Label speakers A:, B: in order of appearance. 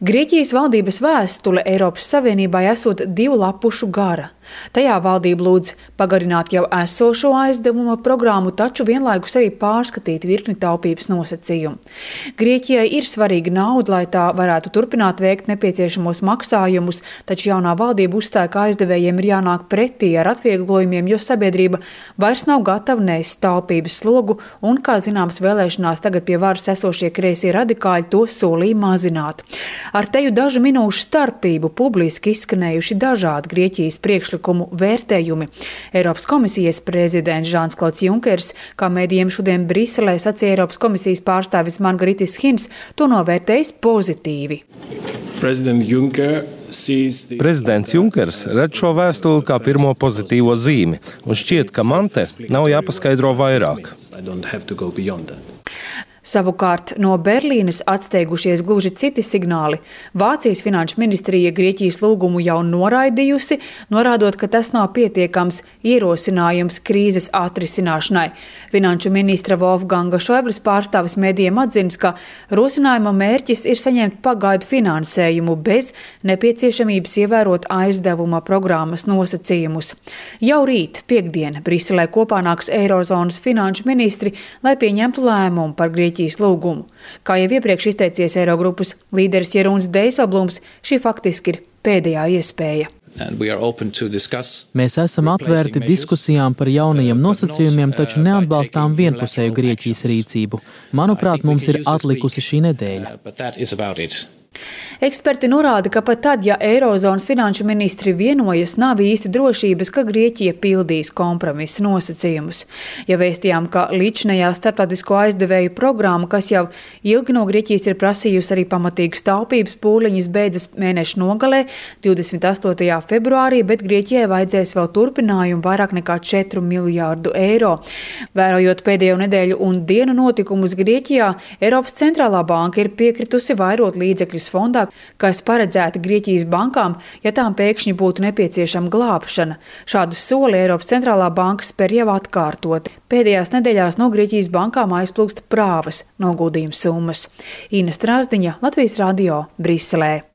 A: Grieķijas valdības vēstule Eiropas Savienībai esot 2 lapušu gara. Tajā valdība lūdz pagarināt jau esošo aizdevuma programmu, taču vienlaikus arī pārskatīt virkni taupības nosacījumu. Grieķijai ir svarīga nauda, lai tā varētu turpināt veikt nepieciešamos maksājumus, taču jaunā valdība uzstāja, ka aizdevējiem ir jānāk pretī ar atvieglojumiem, jo sabiedrība vairs nav gatava nēst taupības slogu un, kā zināms, vēlēšanās tagad pie varas esošie kreisie radikāļi to solīja mazināt. Ar teju dažu minūšu starpību publiski izskanējuši dažādi Grieķijas priekšlikumu vērtējumi. Eiropas komisijas prezidents Žans-Klauds Junkers, kā mēdījiem šodien Briselē sacīja Eiropas komisijas pārstāvis Margaritis Hins, to novērtējis pozitīvi.
B: Prezidents Junkers redz šo vēstuli kā pirmo pozitīvo zīmi, un šķiet, ka man te nav jāpaskaidro vairāk.
A: Savukārt no Berlīnes atsteigušies gluži citi signāli. Vācijas finanšu ministrija Grieķijas lūgumu jau noraidījusi, norādot, ka tas nav pietiekams ierosinājums krīzes atrisināšanai. Finanšu ministra Wolfganga Šoiblis pārstāvis mēdījiem atzinis, ka rosinājuma mērķis ir saņemt pagaidu finansējumu bez nepieciešamības ievērot aizdevuma programmas nosacījumus. Jau rīt, piekdien, Briselē kopā nāks Eirozonas finanšu ministri, lai pieņemtu lēmumu par Grieķijas lūgumu. Kā jau iepriekš izteicies Eirogrupas līderis Jeroens Dijsselbloems, šī faktiski ir pēdējā iespēja.
C: Mēs esam atvērti diskusijām par jaunajiem nosacījumiem, taču neatbalstām vienpusēju Grieķijas rīcību. Manuprāt, mums ir atlikusi šī nedēļa.
A: Eksperti norāda, ka pat tad, ja Eirozonas finanšu ministri vienojas, nav īsti drošības, ka Grieķija pildīs kompromisa nosacījumus. Ja vēstījām, ka līdzinējā starptautisko aizdevēju programma, kas jau ilgi no Grieķijas ir prasījusi arī pamatīgas taupības pūliņas, beidzas mēneša nogalē 28. februārī, bet Grieķijai vajadzēs vēl turpinājumu vairāk nekā 4 miljārdu eiro. Vērojot pēdējo nedēļu un dienu notikumus Grieķijā, Eiropas centrālā banka ir piekritusi vairot līdzekļus fondā, kas paredzēti Grieķijas bankām, ja tām pēkšņi būtu nepieciešama glābšana. Šādu soli Eiropas centrālā banka spēr jau atkārtot. Pēdējās nedēļās no Grieķijas bankām aizplūst prāvas noguldījuma summas. Ina Strāzdiņa, Latvijas radio, Briselē.